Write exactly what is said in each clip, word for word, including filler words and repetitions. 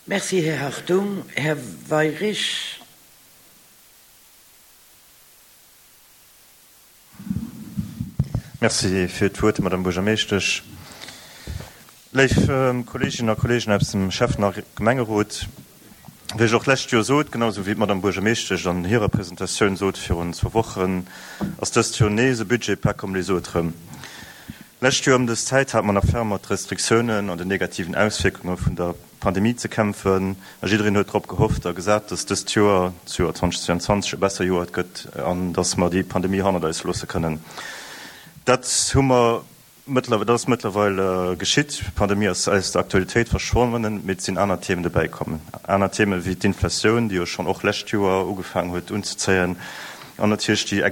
Merci, Här Hartung. Här Weirich. Merci fir d'Wuert, Madame Buergermeeschtesch. Léif Kolleeginnen a Kolleegen aus dem Schäffen a Gemengerot, wéi ech och d'lescht Joer sot, genau esou wéi d'Madame Buergermeeschtesch an hirer Presentatioun sot virun zwou Wochen, ass dëst Joer nees e Budget pas comme les autres. D'lescht Joer ëm dës Zäit hate mer nach ferm mat Restriktiounen an den negativen Auswierkunge vun der Pandemie ze kämpfen a jiddereen huet drop gehofft a gesat, dass dëst Joer, d'Joer zweitausendzweiundzwanzeg, e besser Joer gëtt an dass mer déi Pandemie hannert eis loosse kënnen. Dat hu mer mëttlerweil, dat ass mëttlerweil geschitt. D'Pandemie ass aus der Aktualitéit verschwonnen, mee et sinn aner Themen dobäi kommen. Aner Themen wéi d'Inflatioun, déi jo schonn och lescht Joer ugefaangen huet unzezéien, an natierlech déi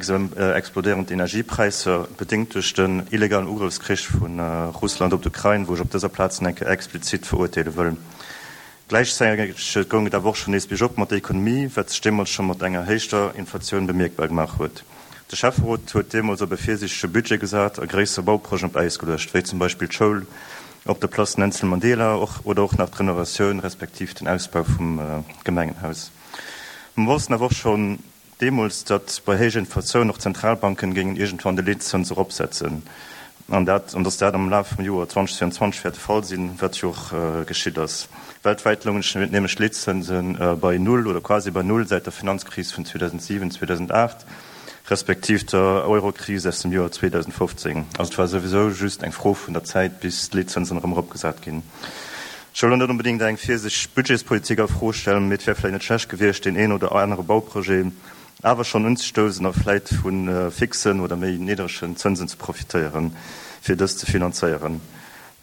explodéierend Energiepräisser, bedéngt duerch den illegalen Ugrëffskrich vu Russland op d'Ukrain, wou ech op dëser Plaz nach eng Kéier explizit verurteele wëll. Gläichzäiteg goung et awer och schonn nees biergop mat der Ekonomie, wat sech deemools scho mat enger héichter Inflatioun bemierkbar gemaach huet. De Schäfferot huet deemools op e virsiichtege Budget gesat a gréisser Bauprojeten op Äis geluecht, wéi zum Beispill d'Schoul op der Place Nelson Mandela oder och nach d'Renovatioun respektiv den Ausbau vum Gemengenhaus. Mer wossten awer och schonn deemools, datt bei héijer Inflatioun och d'Zentralbanken géingen iergendwann de Leetzëns eropsetzen an dat, an datt dat am Laf vum Joer zweitausendzweiundzwanzeg wäert de Fall sinn, wat jo och geschitt ass. Weltwäit loungen nämlech d'Leetzënse bei Null oder quasi bei Null säit der Finanzkris vun zweetausentsiwen, zweetausenaacht, respektiv der Eurokris aus dem Joer zweetausendfofzéng. Also et war souwisou just eng Fro vun der Zäit, bis d'Leetzënsen erëm eropgesat ginn. Ech wëll elo net onbedéngt eng virsichteg Budgetspolitik a Fro stellen, mee et wär vläicht net schlecht gewiescht, deen een oder anere Bauprojet awer schonn unzestousen a vläicht vu fixen oder méi niddregen Zënsen ze profitéieren, fir dës ze finanzéieren.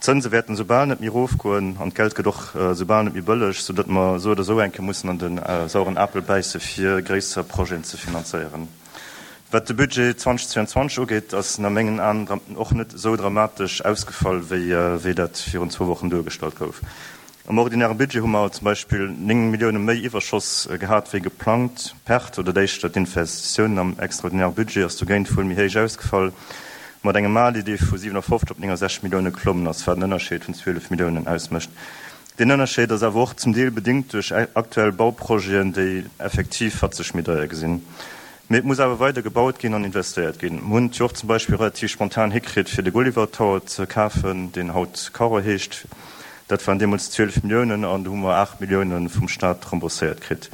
D'Zënse wäerten esoubal net méi erofgoen an d'Geld gëtt och esoubal net méi bëlleg, soudatt mer esou oder esou eng Kéier mussen an de sauren Apel bäisse fir gréisser Projeten ze finanzéieren. Wat de Budget zweitausendzweiundzwanzeg ugeet, ass en a mengen Aen och net esou dramatesch ausgefall, wéi dat virun zwou Wochen duergestallt gouf. Am ordinäre Budget hu mer zum Beispill néng Millioune méi Iwwerschoss gehat wéi geplangt. D'Perte oder d'éischter d'Investitiounen am extraordinäre Budget ass dogéint wuel méi héich ausgefall, mat engem Mali, dee vu siwenafofzeg op néngensechzeg Millioune geklommen ass, wat en Ënnerscheed vun zwielef Milliounen ausmécht. Deen Ënnerscheed ass awer och zum Deel bedéngt duerch aktuell Bauprojeten, déi effektiv fatzeg méi deier gesinn. Mee et muss awer weider gebaut ginn an investéiert ginn. Mir hunn et jo och zum Beispill relativ spontan hikritt, fir de Gulliver Tower ze kafen, deen haut Carroz heescht. Dat waren deemools zwielef Milliounen an do hu mer aacht Millioune vum Staat rembourséiert kritt.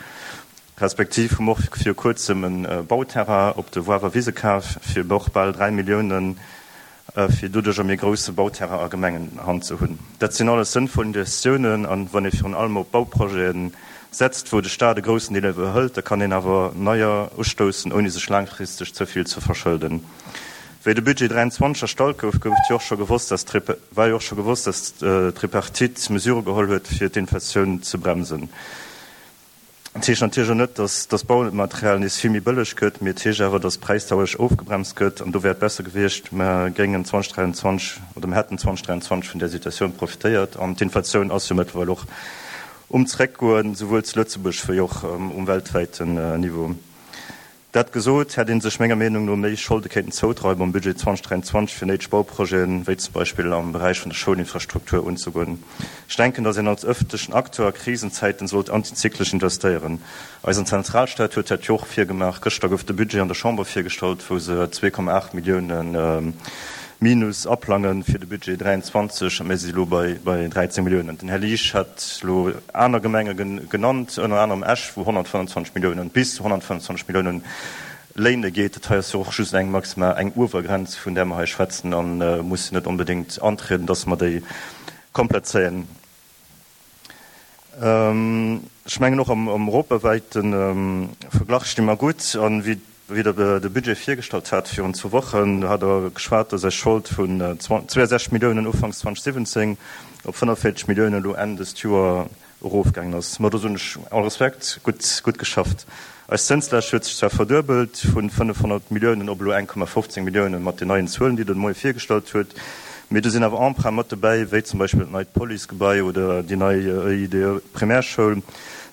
Respektiv hu mer och viru Kuerzem e Bauterrain op de Woawer Wise kaf fir och bal dräi Milliounen, fir doduerch e méi grousse Bauterrain a Gemengenhand ze hunn. Dat sinn alles sënnvoll Investitiounen an wann ee virun allem op Bauprojete setzt, wou de Staat e groussen Deel iwwerhëlt, da kann een awer neier ustoussen, ouni sech laangfristeg ze vill ze verschëlden. Wéi de Budget dräianzwanzeg erstallt gouf, gouf et jo och scho gewosst, dass war jo och scho gewosst, dass d'Tripartite Mesurë geholl huet, fir d'Inflatioun ze bremsen. Et heescht natierlech och net, dass dass Baumaterial nees vill méi bëlleg gëtt, mee et heescht awer, dass d'Präisdauereg ofgebremst gëtt an do wär et besser gewiescht, mer géingen zweitausenddräianzwanzeg oder mer hätten zweitausenddräianzwanzeg vun där Situatioun profitéiert an d'Inflatioun ass jo mëttlerweil och um Zréckgoen, souwuel zu Lëtzebuerg wéi och um weltwäiten Niveau. Dat gesot, hätt ee sech menger Meenung no méi Scholde kéinten zoudreiwen am Budget zweitausenddräianzwanzeg fir néideg Bauprojeten, wéi zum Beispill am Beräich vun der Schoulinfrastruktur, unzegoen. Ech denken, datt een als ëffentlechen Acteur a Krisenzäiten sollt antizyklesch investéieren. Eisen Zentralstaat huet dat jo och virgemaach. Gëschter gouf de Budget an der Chamber virgestallt, wou se zwee Komma aacht Milliounen Minus aplangen fir de Budget dräianzwanzeg, a mir si elo bei dräizéng Milliounen. Den Här Liesch hat elo aner Gemenge genannt, ënner anerem Esch, wou honnertfënnwandzwanzeg Milliounen, bis zu honnertfënnwandzwanzeg Milliounen léine geet. Dat hei ass jo och just eng maximal, eng Uewergrenz, vun där mer hei schwätzen, a muss jo net onbedéngt antrieden, dass mer déi komplett zéien. Ech mengen och am europawäite Verglach sti mer gutt. A wéi Wéi Der de Budget virgestallt hat virun zwou Wochen, do hat Der geschwat, dass Är Schold vun zweiundsechzeg Milliounen ufanks zweitausendsiwwenzéng op fënnefvéierzeg Milliounen elo Enn dëst Joer erofgaangen ass. Ma do soen ech all Respekt, gutt, gutt geschafft. Eis Zënslaascht huet sech zwar verduebelt, vun fënnefhonnert Milliounen op elo eng Komma fofzéng Milliounen mat den neien Zuelen, déi Der de Moie virgestallt huet, mee do sinn awer Emprunte mat dobäi, wéi zum Beispill dat neit Policegebai oder déi nei E I D E Primärschoul,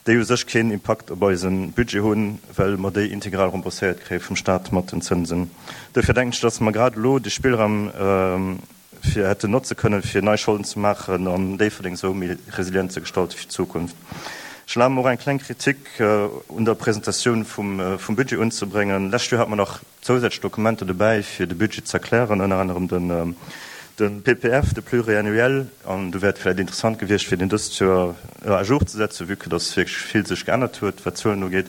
déi u sech keen Impakt op eise Budget hunn, well mer déi integral rembourséiert kréie vum Stat mat den Zënsen. Duerfir denken ech, dass mer grad elo de Spillraum fir hätten notze kënnen, fir nei Scholden ze maachen an Déifferdeng esou méi resilient ze gestalte fir d'Zukunft. Ech erlabe mer och eng kleng Kritik un der Presentatioun vum Budget unzebréngen. Lescht Joer hate mer nach zousätzlech Dokumenter dobäi, fir de Budget ze erklären, ënner anerem de P P F, de Pluriannuel, an do wär et vläicht interessant gewiescht, fir deen dëst Joer à jour ze setzen, vue que dass wierklech vill sech geännert huet, wat d'Zuelen ugeet.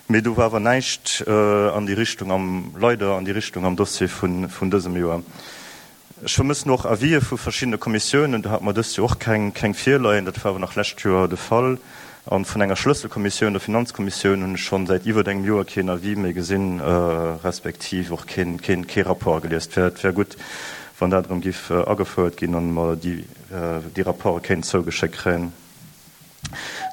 Mee do war awer näischt an déi Richtung am, leider an déi Richtung am Dossier vun dësem Joer. Ech vermëssen och Avisë vu verschiddene Kommissiounen. Do hate mer dëst Joer och keng, keng virleien. Dat war awer nach lescht Joer de Fall. A vun enger Schlësselkommissioun, der Finanzkommissioun, hunn ech schonn säit iwwert engem Joer keen Avis méi gesinn, respektiv och keen, keen, kee Rapport gelies. Et wär, et wär gutt, wann dat erëm giff agefouert ginn an mer déi, déi Rapporte kéinten zougeschéckt kréien.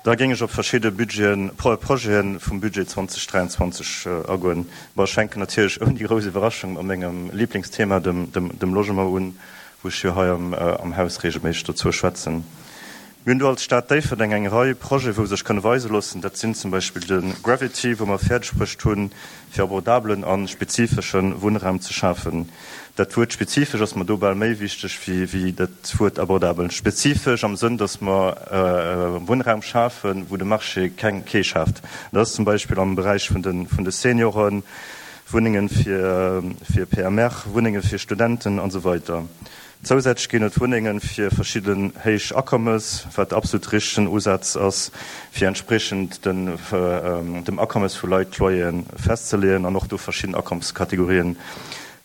Da géing ech op verschidde Budgeten, Projete vum Budget zweedausend dräianzwanzeg agoen. Bon, ech fänken natierlech ouni grouss Iwwerraschung mat mengem Liblingsthema, dem, dem, dem Logement un, wou ech jo hei am, am Haus regelméisseg dozou schwätzen. Mir hunn do als Stad Déifferdeng eng Rei Projete wou sech kënne weise loossen. Dat sinn zum Beispill de Gravity, wou mer fäerdeg bruecht hunn, fir abordabelen a spezifesche Wunnraum ze schafen. Dat Wuert spezifesch ass mer do bal méi wichteg wéi, wéi dat Wuert abordabel. Spezifesch am Sënn, dass mer Wunnraum schafen, wou de Marché keng, kee schaaft. Dat ass zum Beispill am Beräich vun de, vun de Senioren, Wunnenge fir, fir P M R, Wunnenge fir Studenten an esou weider. Zousätzlech ginn et Wunnenge fir verschidden héich Akommes, wat absolut richtegen Usaz ass, fir entspriechend den, dem Akommes vu Leit d'Loyeren festzeleeën an och do verschidden Akommeskategorien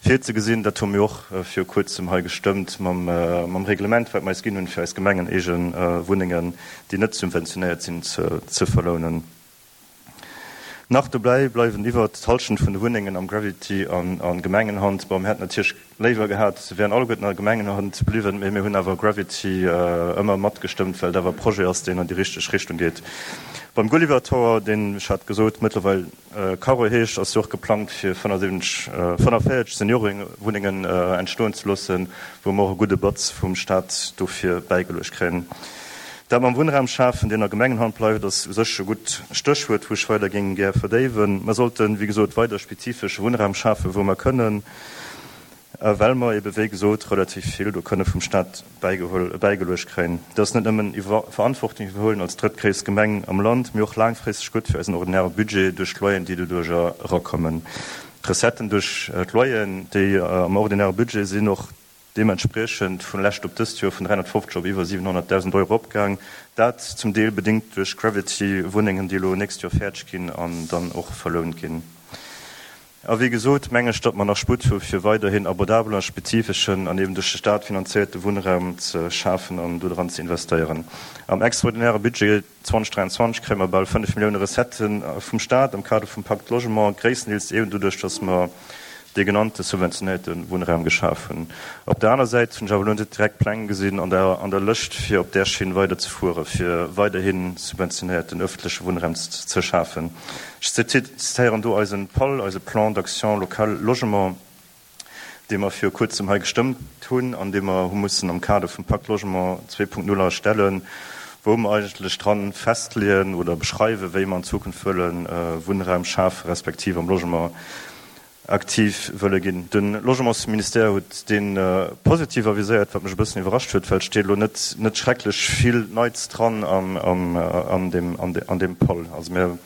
virzegesinn. Dat hu mir och viru kuerzem hei gestëmmt mam, mam Reglement, wat mer eis ginn hunn, fir eis gemengeneege Wunnengen, déi net subventionéiert sinn, ze, ze verlounen. Nach dobäi bleiwen iwwert d'Hallschent vun de Wunnengen am Gravity an a Gemengenhand. Bon, mir hätten natierlech léiwer gehat, se wären alleguerten a Gemengenhand bliwwen, mee mir hunn awer Gravity ëmmer matgestëmmt, well et awer e Projet ass, deen an déi richteg Richtung geet. Beim Gulliver Tower, deen, ech hat gesot, mëttlerweil Carro heescht, ass jo och geplangt, fir fënnefensiwwenzeg, fënnefenvéierzeg Seniorewunnengen entstoen ze loossen, wou mer och e gudde Batz vum Staat dofir bäigeluecht kréien. Dat mam Wunnraum schafen, deen a Gemengenhand bleift, ass u sech e gutt Stéchwuert, wou ech weider géing gär verdéiwen. Mer sollten, wéi gesot, weider spezifesche Wunnraum schafen, wou mer kënnen, well mer ebe wéi gesot relativ vill do kënne vum Staat bäigeholl, bäigeluecht kréien. Dat ass net nëmmen iwwer Verantwortung iwwerhuelen als drëttgréisst Gemeng am Land, mee och laangfristeg gutt fir eisen ordinäre Budget duerch d'Loyeren, déi doduercher erakommen. D'Recetten duerch d'Loyeren, déi am ordinäre Budget sinn, och deementspriechend vun lescht op dëst Joer vun dräihonnertfofzeg op iwwer siwenhonnertdausend Euro opgaang. Dat zum Deel bedéngt duerch Gravity-Wunnengen, déi elo nächst Joer fäerdeg ginn an dann och verlount ginn. A wéi gesot, meng ech, datt mer nach Sputt hu fir weiderhin abordabelen a spezifeschen an eben duerch de Staat finanzéierte Wunnraum ze schafen an do dran ze investéieren. Am extraordinäre Budget zweedausend dräianzwanzeg kréie mer bal fënnef Millioune Recettë vum Staat am Kader vum Pacte Logement, gréisstendeels eben doduerch, datt mer dee genannte subventionéierte Wunnraum geschaf hunn. Op der aner Säit hunn ech awer elo net direkt Pläng gesinn an der an der Lëscht, fir op där Schinn weider ze fuere fir weiderhi subventionéierten ëffentleche Wunnraum ze schafen. Ech zitéieren do eisen PAL, eise Plan d'action local logement, dee mer viru kuerzem hei gestëmmt hunn an dee mer hu mussen am Kader vum Pacte Logement zwee Punkt null erstellen, wou mer eigentlech dran festleeën oder beschreiwen, wéi mer an Zukunft wëlle Wunnraum schafe respektiv am Logement aktiv wëlle ginn. De Logementsministère huet dee positiv aviséiert, wat mech e bëssen iwwerrascht huet, well et steet elo net net schrecklech vill Neits dran an an deem an deem PAL. Also mir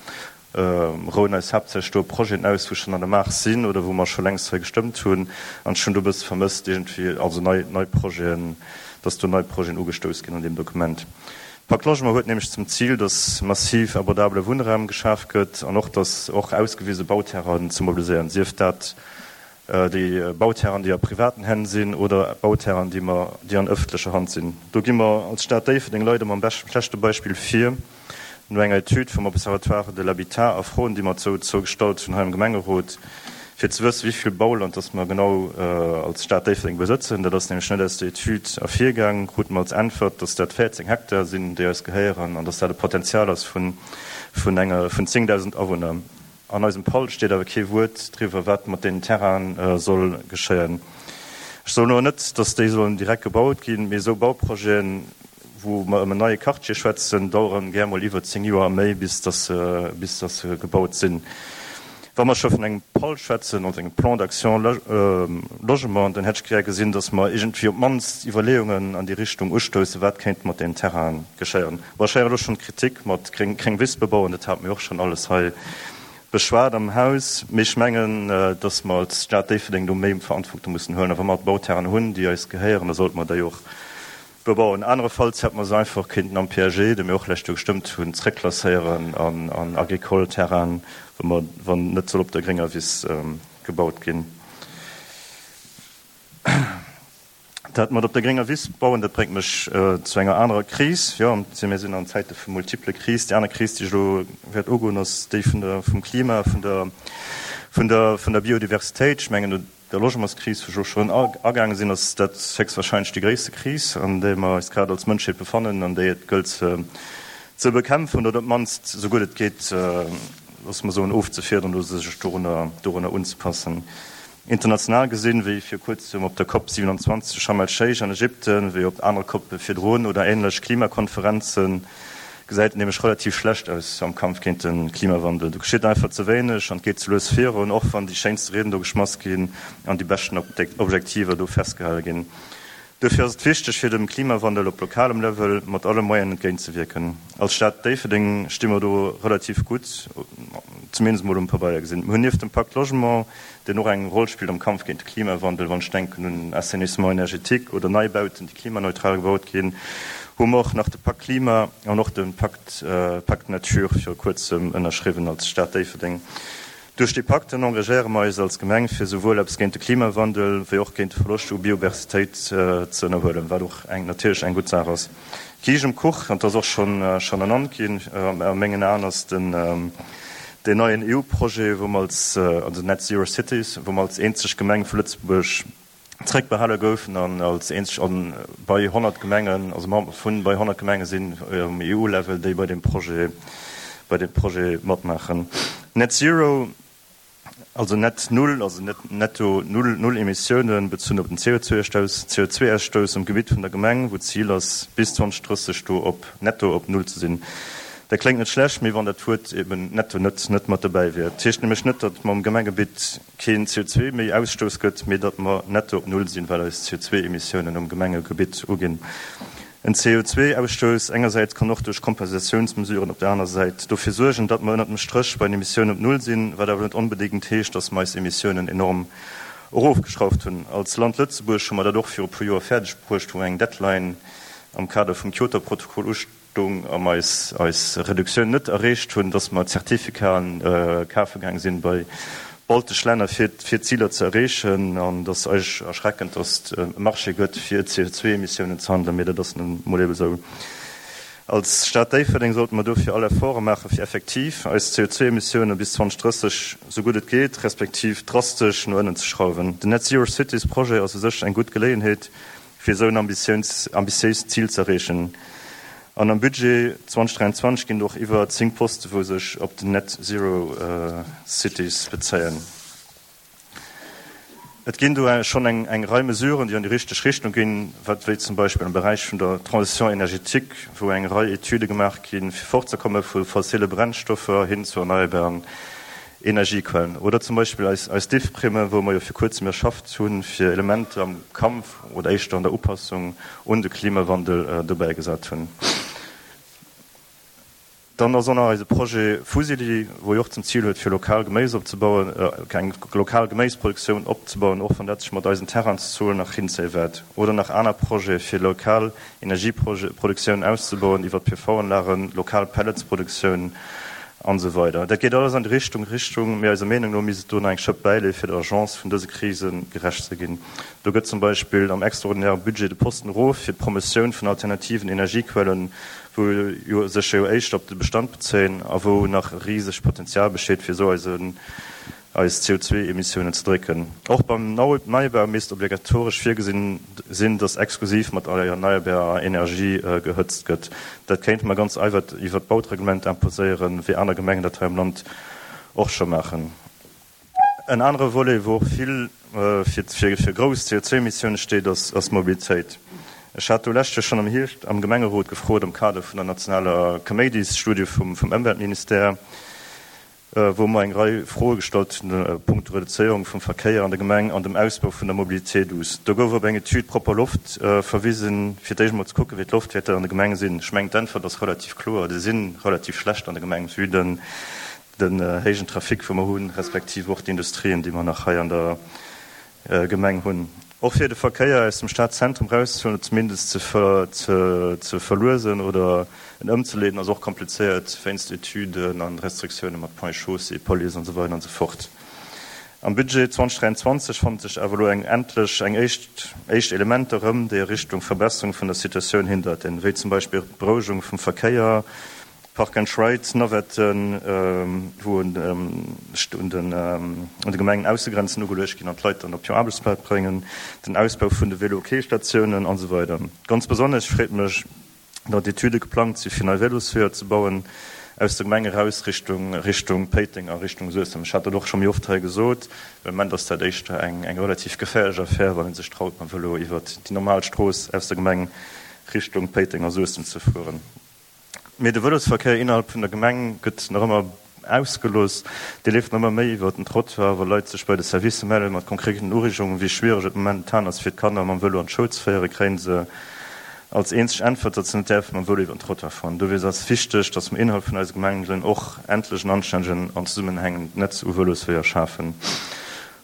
rouen eis haaptsächlech do op Projeten aus, wou schonn an der Maach sinn oder wou mer scho längst hei gestëmmt hunn. An ech hunn do e bësse vermësst iergendwéi, also nei nei Projeten, dass do nei Projeten ugestouss ginn an deem Dokument. Pacte Logement huet nämlech zum Zil, dass massiv abordabele Wunnraum geschaf gëtt an och, dass och ausgewise Bauterrainen ze mobiliséieren, sief dat déi Bauterrainen, déi a privaten Hänn sinn oder Bauterrainen, déi mer, déi an ëffentlecher Hand sinn. Do gi mer als Stad Déifferdeng leider mam schlechte Beispill vir. No enger Etüd vum Observatoire de l'habitat a Froen, déi mer dozou gestallt hunn hei am Gemengerot, fir ze wëssen, wéi vill Bauland dass mer genau als Stad Déifferdeng besëtzen, dat ass nämlech net aus der Etüd ervirgaang, krute mer als Äntwert, dass dat véierzéng Hektar sinn, déi eis gehéieren an dass dat e Potenzial ass vun zéngdausend Awunner. An eisem PAL steet awer kee Wuert driwwer, wat mat deenen Terrainen soll geschéien. Ech soen elo net, dass déi sollen direkt gebaut ginn, mee esou Bauprojeten, wou mer ëm en neie Quartier schwätzen, daueren gär mol iwwer zéng Joer a méi, bis dass se gebaut sinn. Wa mer scho vun engem PAL schwätzen, also engem Plan d'action logement, dann hätt ech gär gesinn, dass mer iergendwéi op d'mannst Iwwerleeungen an déi Richtung ustoussen, wat kéint mat deenen Terrainen geschéien. Bon, ech héieren elo schonn d'Kritik mat gréng Wiss bebauen, dat hate mir och schonn alles hei beschwat am Haus. Mee ech mengen, dass mer als Stad Déifferdeng do méi Verantwortung mussen huelen. A wa mer Bauterrainen hunn, déi eis gehéieren, da sollte mer déi och bebauen. Anerefalls hätte mer se einfach kéinten am P A G, dee mir och d'lescht Joer gestëmmt hunn, zréckklasséieren an, an agricole Terrainen, wa mer, wann net soll op der grénger Wiss gebaut ginn. Dat mat op der grénger Wiss bauen, dat bréngt mech zu enger anerer Kris. Jo, mir sinn an Zäite vu multiple Kris. Déi aner Kris, déi ech elo wäert ugoen, ass déi vun der, vum Klima, vun der, vun der, vun der Biodiversitéit. Ech mengen, no der Logementskris, wou ech och schonn agaange sinn, ass dat héchstwahrscheinlech déi gréisste Kris, an där mer eis grad als Mënschheet befannen, an déi et gëllt ze, ze bekämpfen oder op d'mannst, esou gutt et geet, loosse mer soen, ofzefiederen oder sech dorunner, dorunner unzepassen. International gesinn, wéi vir kuerzem op der COP siewenundzwanzeg zu Sharm el-Sheikh an Ägypten, wéi op anere COPe virdrun oder ähnlech Klimakonferenzen, gesäit et nämlech relativ schlecht aus am Kampf géint de Klimawandel. Do geschitt einfach ze wéineg an et geet ze lues virun, och wann déi schéinste Rieden do geschmass ginn an déi beschten Objektiver do festgehale ginn. Dofir ass et wichteg, fir dem Klimawandel op lokalem Level mat alle Moyenen entgéintzewierken. Als Stad Déifferdeng sti mer do relativ gutt, zumindest mol um Pabeier gesinn. Mir hunn nieft dem Pacte Logement, deen och eng Roll spillt am Kampf géint de Klimawandel, wann ech denken un Assainissement énergétique oder Neibauten, déi klimaneutral gebaut ginn, hu mer och nach de Pacte Klima an och de Pacte, Pacte Nature viru kuerzem ënnerschriwwen als Stad Déifferdeng. Duerch déi Pakten engagéiere mer eis als Gemeng, fir souwuel eppes géint de Klimawandel wéi och géint de Verloscht u Bioversitéit ze ënnerhuelen, wat och eng, natierlech eng gutt Saach ass. Kiischt um Kuch, an dat ass och schonn, schonn ernannt ginn, a mengen Aen ass den, deen neien E U-Projet, wou mer als, also Net Zero Cities, wou mer als eenzeg Gemeng vu Lëtzebuerg zréckbehale goufen an als eenzeg an bei honnert Gemengen, also mer vun bei honnert Gemenge sinn um E U-Level, déi bei deem Projet, bei deem Projet matmaachen. Net Zero, also net null, also net netto null, null Emissiounen bezunn op den C O zwei Ausstouss, C O zwei Ausstouss um Gebitt vun der Gemeng, wou d'Zil ass, bis zwanzig drësseg do op netto op null ze sinn. Dat kléngt net schlecht, mee wann dat Wuert eben netto net, net mat dobäi wier. Dat heescht nämlech net, datt mam Gemengebitt keen C O zwei méi Ausstouss gëtt, mee datt mer netto op null sinn, well eis C O zwei Emissiounen um Gemengegebitt uginn. En C O zwei Ausstouss engersäits kann och duerch Kompensatiounsmesuren op der aner Säit dofir suergen, datt mer ënnert dem Stréch bei den Emissiounen op null sinn, wat awer net onbedéngt heescht, datt mer eis Emissiounen enorm erofgeschrauft hunn. Als Land Lëtzebuerg hu mer dat och viru puer Joer fäerdeg bruecht, wou eng Deadline am Kader vum Kyoto-Protokoll ustung a mer eis, eis Reduktioun net erreecht hunn, datt mer Zertifikaten, äh, kafe gaange sinn bei baltesch Länner fir, fir Ziler ze erreechen, an dat ass eigentlech erschreckend, datt et e Marché gëtt fir C O zwei Emissiounen ze handeln, mee dat ass nun mol eben esou. Als Stad Déifferdeng sollte mer dofir all Efforte maachen, fir effektiv eis C O zwei Emissiounen bis zwanzig drësseg sou gutt et geet, respektiv drastesch no ënnen ze schrauwen. Den Net Zero Cities Projet ass u sech eng gutt Geleeënheet, fir esou en ambitiéis, ambitiéist Zil ze erreechen. An am Budget zwanzig dräiundzwanzeg ginn och iwwer zéng Poste, wou sech op den Net Zero, äh, Cities bezéien. Et ginn do schonn eng, eng Rei Mesuren, déi an déi richteg Richtung ginn, wat wéi zum Beispill am Beräich vun der Transition énergétique, wou eng Rei Etüde gemaach ginn, fir fortzekomme vu fossile Brennstoffer hin zu erneuerbaren Energiequellen. Oder zum Beispill eis, eis D I F-Primme, wou mer jo fir kuerzem erschafft hunn, fir Elemente am Kampf oder éischter an der Upassung un de Klimawandel, äh, dobäi gesat hunn. Dann ass auch nach eise Projet Fusili, wou jo och zum Ziel huet, fir lokal Geméis opzebauen, äh, eng lokal Geméisproduktioun opzebauen, och wann dat sech mat eisen Terrainszuelen nach hinzéie wäert. Oder nach aner Projete fir lokal Energieproduktioun auszubauen, iwwer P V-Anlagen, lokal Pelletsproduktioun an so weiter. Dat geet alles an die Richtung, Richtung, mee eiser Meenung no misst et do nach eng Schëpp bäileeën, fir der Agence vun dëse Krisen gerecht ze ginn. Do gëtt zum Beispill am extraordinären Budget de Posten erof fir d'Promotioun vun alternativen Energiequellen, wou jo sech jo éischt op de Bestand bezéien a wou nach rieseg Potenzial besteet, fir esou eise, eis C O zwei Emissiounen ze drécken. Och beim Nau-, Neubau misst obligatoresch virgesinn sinn, dass exklusiv mat erneuerbarer Energie, äh, gehëtzt gëtt. Dat kéint man ganz einfach iwwer d'Baureglement imposéieren, wéi aner Gemengen dat hei am Land och scho maachen. En anere Volet, wou och vill, äh, fir, fir, fir grouss C O zwei Emissiounen steet, ass, ass Mobilitéit. Ech hat do lescht Joer schon am Hierscht am Gemengerot gefrot am Kader vun der nationaler Kaméidis-Studie vum, vum Ëmweltministère, wou mer eng Rei Froe gestallt hunn a punkto Reduzéierung vum Verkéier an der Gemeng an dem Ausbau vun der Mobilité douce. Do gouf op eng Etüd Propper Loft verwisen, fir d'éischt emol ze kucken, wéi d'Loftwäerter an de Gemenge sinn. Ech mengen, d'Äntwert ass relativ kloer, Déi si relativ schlecht an der Gemeng, vue den héijen Trafic, wou mer hunn, respektiv och d'Industrien, déi mer nach hei an der Gemeng hunn. Och fir de Verkéier aus dem Stadzentrum erauszehuelen oder zumindest ze verluesen oder en ëmzeleeden, ass och komplizéiert wéinst Etüden an Restriktioune mat Ponts et Chaussées, Police an esou weider an esou fort. Am Budget zweitausenddräianzwanzeg fanne sech awer elo eng endlech eng éischt éischt Elementer erëm, déi a Richtung Verbesserung vun der Situatioun hindeiten, wéi zum Beispill d'Berouegung vum Verkéier, Park and Ride Navetten, wou un de Gemengen Aussegrenzen ugeluecht ginn an d'Leit dann op hir Aarbechtsplaz bréngen, den Ausbau vun de Vélo-Quai-Statiounen an esou weider. Ganz besonnesch freet mech, datt Etüde geplangt si fir nei Vélosweeër ze bauen aus der Gemeng eraus Richtung Richtung Péiteng a Richtung Suessem. Ech hat dat och scho méi oft hei gesot. Am Moment ass dat éischter eng eng relativ geféierlech Affär, wann ee sech traut mam Vélo iwwert déi normal Strooss aus der Gemeng Richtung Péiteng a Suessem ze fueren. Mee de Vëlosverkéier innerhalb vun der Gemeng gëtt nach ëmmer ausgelooss. Dee leeft nach ëmmer méi iwwer den Trottoir, wa Leit sech bei de Servicer mellen mat konkreten Ureegungen, wéi schwiereg et momentan ass fir d'Kanner mam Vëlo an d'Schoul ze féieren, kréien se als eenzeg Äntwert, datt se net däerfe mam Vëlo iwwer den Trottoir fueren. Dowéinst ass et wichteg, datt mer innerhalb vun eise Gemengen och endlech en anstännegen an zesummenhängend Netz u Vëlosweeër schafen.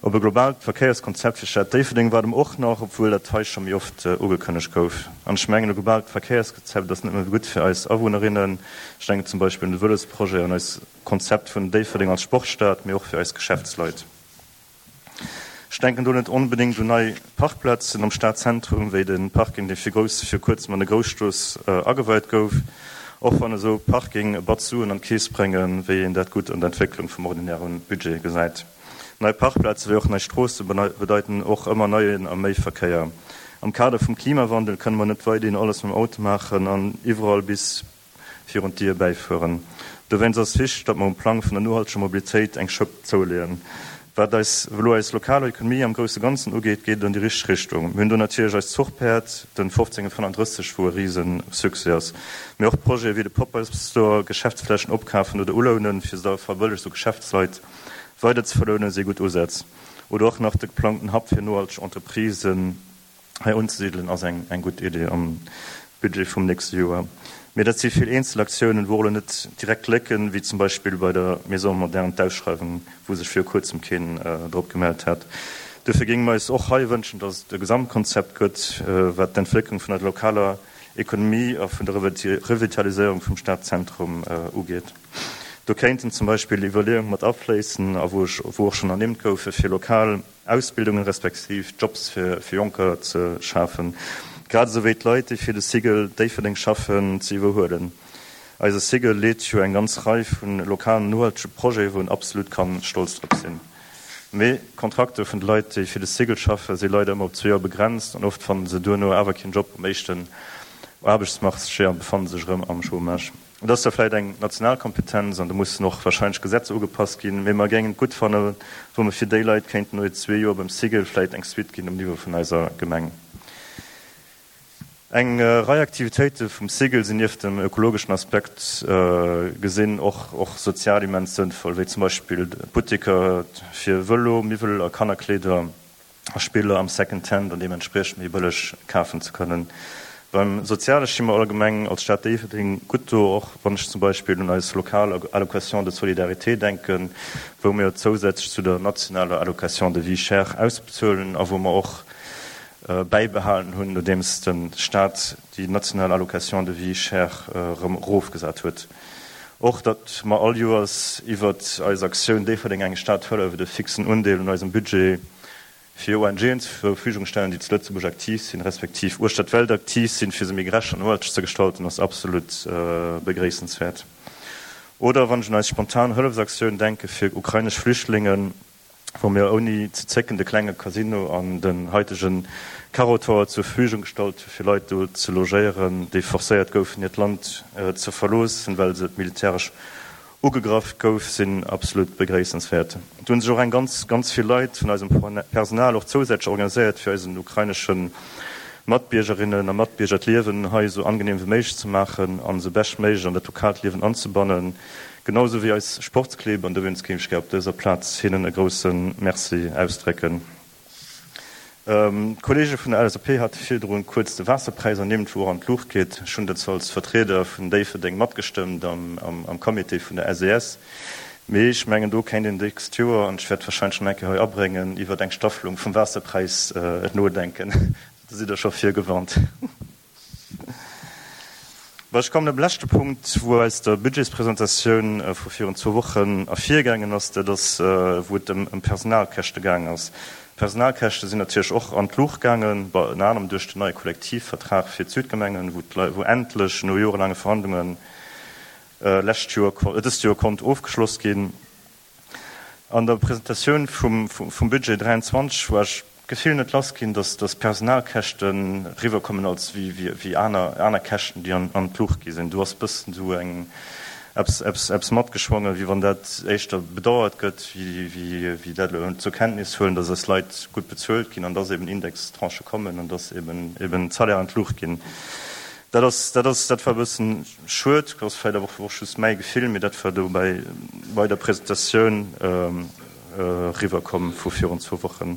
Op e globaalt Verkéierskonzept fir d'Stad Déifferdeng waarde mer och nach, obwuel dat hei scho méi oft ugekënnegt gouf. An ech mengen, e globaalt Verkéierskonzept ass net nëmme gutt fir eis Awunnerinnen, ech denken zum Beispill un de Vëlosprojet an eis Konzept vun Déifferdeng als Sportstad, mee och fir eis Geschäftsleit. Ech denken do net onbedéngt un nei Parkplazen am Stadzentrum, wéi de Parking, dee fir grouss vir kuerzem an der Grousstrooss ageweit gouf, och wann esou Parking e Batz Suen an d'Keess bréngen, wéi een dat gutt an der Entwécklung vum ordinäre Budget gesäit. Nei Parkplaze wéi och nei Stroosse bedeiten och ëmmer neien a méi Verkéier. Am Kader vum Klimawandel kënne mer net weiderhin alles mam Auto maachen an iwwerall bis virun d'Dier bäifueren. Dowéinst ass wichteg, datt mer um Plang vun der nohalteger Mobilitéit eng Schëpp zouleeën. Wat eis elo eis lokal Ekonomie am grousse Ganzen ugeet, geet et an déi richteg Richtung. Mir hunn do natierlech eist Zuchpäerd, den fofzéng fënnenddrësseg, wou e rise Succès ass. Mee och Projete wéi de Pop-up Store, Geschäftsflächen opkafen oder ulounen, fir se da verbëllegt u Geschäftsleit weider ze verlounen, si gutt Usätz. Oder och nach de geplangten Hub fir nohalteg Entreprisen hei unzesidelen ass eng eng gutt Idee am Budget vum nächste Joer. Mee dat si vill eenzel Aktiounen, wou och elo net direkt klécken, wéi zum Beispill bei der Maison moderne d'Ausschreiwung, wou sech viru kuerzem keen drop gemellt hat. Dofir géinge mer eis och hei wënschen, datt et e Gesamtkonzept gëtt, wat d'Entwécklung vun der lokaler Ekonomie a vun der Revitaliséierung vum Stadzentrum ugeet. Do kéinten zum Beispill Iwwerleeunge mat afléissen, a wou och schonn ernimmt goufe fir lokal Ausbildungen respektiv Jobs fir Jonker ze schafen, grad esou wéi d'Leit, déi fir de Cigl Déifferdeng schaffen, ze iwwerhuelen. Eise Cigl leet jo eng ganz Rei vu lokalen nohaltege Projete, wou en absolut ka stolz drop sinn. Mee d'Kontrakter vun de Leit, déi fir de Cigl schaffe, si leider ëmmer op zwee Joer begrenzt an oft fanne se duerno awer keen Job um éischten Aarbechtsmarché a befanne sech erëm am Chômage. Et ass zwar vläicht eng national Kompetenz an do mussen och wahrscheinlech Gesetzer ugepasst ginn, mee mer géingen et gutt fannen, wa mer fir déi Leit kéinten no zwee Joer beim Cigl vläicht eng Suite ginn um Niveau vun eiser Gemeng. Eng Rei Aktivitéite vum Cigl sinn nieft dem ökologeschen Aspekt gesinn och och sozial immens sënnvoll, wéi zum Beispill Butteker fir Vëlo, Miwwel a Kannerkleeder a Spiller am Second Hand an deementspriechend méi bëlleg kafen ze kënnen. Beim Soziale sti mer allgemeng als Stad Déifferdeng gutt do, och wann ech zum Beispill un eis lokal Allocation de solidarité denken, wou mir zousätzlech zu der nationaler Allocation de vie chère ausbezuelen a wou mer och bäibehalen hunn, nodeems de Staat déi national Allocation de vie chère erëm erofgesat huet. Och datt mer all Joers iwwert eis Aktioun Déifferdeng eng Stad hëlleft e fixen Undeel un eisem Budget fir O N G'en zur Verfügung stellen, déi zu Lëtzebuerg aktiv sinn, respektiv uechter d'Welt aktiv sinn, fir se méi gerecht an nohalteg ze gestalten, ass absolut begréissenswäert. Oder wann ech un eis spontan Hëllefsaktioun denke fir ukrainesch Flüchtlingen, wou mir ouni ze zécken de klenge Casino an den haitege Carottower zur Verfügung gestallt hu fir Leit do ze logéieren, déi forcéiert goufen hiert Land ze verloossen, well se militäresch ugegraff gouf, sinn absolut begréissenswäert. Do hunn sech och eng ganz, ganz vill Leit vun eisem Personal och zousätzlech organiséiert, fir eisen ukrainesche Matbiergerinnen a Matbierger d'Liewen hei esou angenehm wéi méiglech ze maachen an se beschtméiglech an dat lokaalt Liewen anzebannen, genau sou wéi eis Sportsclibb, an dowéinst géif ech gär op dëser Plaz hinnen e grousse Merci ausdrécken. D'Kollege vun der L S A P hate virdrun kuerz de Waasserpräis ernimmt, wou och an d'Luucht geet. Ech hunn dat zwar als Vertrieder vun Déifferdeng matgestëmmt am Comité vun der S E S, mee ech mengen, do kéint een d'nächst Joer, an ech wäert warscheinlech nach eng Kéier hei abréngen, iwwert eng Staffelung vum Waasserpräis nodenken. Do sidd Der scho virgewarnt. Bon, ech kommen op leschte Punkt, wou aus der Budgetspresentatioun vu virun zwou Wochen ervirgaangen ass, dat ass, wou et ëm Personalkäschte gaangen ass. D'Personalkäschte sinn natierlech och an d'Luucht gaangen, bon, ënner anerem duerch den neie Kollektivvertrag fir d'Südgemengen, wou d'Leit, wou endlech no jorelaange Verhandlungen lescht Joer, dëst Joer konnt ofgeschloss ginn. An der Presentatioun vum, vum Budget dräianzwanzeg war ech d'Gefill net lass ginn, dass, dass Personalkäschten riwwerkommen als wéi, wéi, wéi aner, aner Käschten, déi an, an d'Luucht gi sinn. Do ass bëssen esou eng, eppes, eppes, eppes matgeschwongen, wéi wann dat éischter bedauert gëtt, wéi, wéi, wéi dat elo zur Kenntnis huelen, dass eis Leit gutt bezuelt ginn an dass eben Indextranchë kommen an dass eben, eben d'Salaire an d'Luucht ginn. Dat ass, dat ass, dat war e bëssen schued, dat ass vläicht awer och just mäi Gefill, mee dat war do bei, bei der Presentatioun eriwwerkomm vu virun zwou Wochen.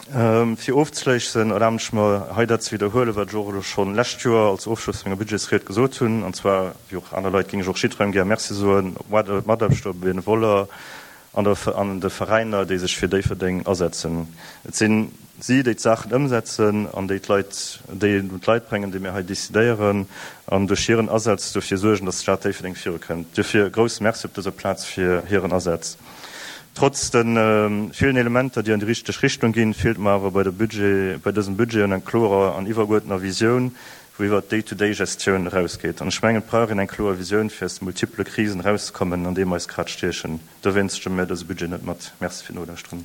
Fir ofzeschléissen, erlaben ech mer hei dat ze widderhuelen, wat ech och elo schonn lescht Joer als Ofschloss vun menger Budgetsried gesot hunn, an zwar, wéi och aner Leit, géing ech och jiddwerengem gär Merci soen, Mataarbechter, Benevoller an der an de Veräiner, déi sech fir Déifferdeng asetzen. Et sinn si, déi d'Saachen ëmsetzen an déi d'Leit, déi et un d'Leit bréngen, déi mir hei decidéieren, an duerch hiren Asaz dofir suergen, dass d'Stad Déifferdeng virukënnt. Duerfir e grousse Merci op dëser Plaz fir hiren Asaz. Trotz de villen Elementer, déi an déi richteg Richtung ginn, feelt mer awer bei der Budget, bei dësem Budget un eng klorer an iwwergeuerdneter Visioun, wou iwwert d'Day-to-day-Gestioun erausgeet. An ech mengen, et brauch een eng kloer Visioun, fir aus de multiple Krisen erauszekommen, an deem mer eis grad stiechen. Dowéinst stëmme mir dëse Budget net mat. Merci fir d'Nolauschteren.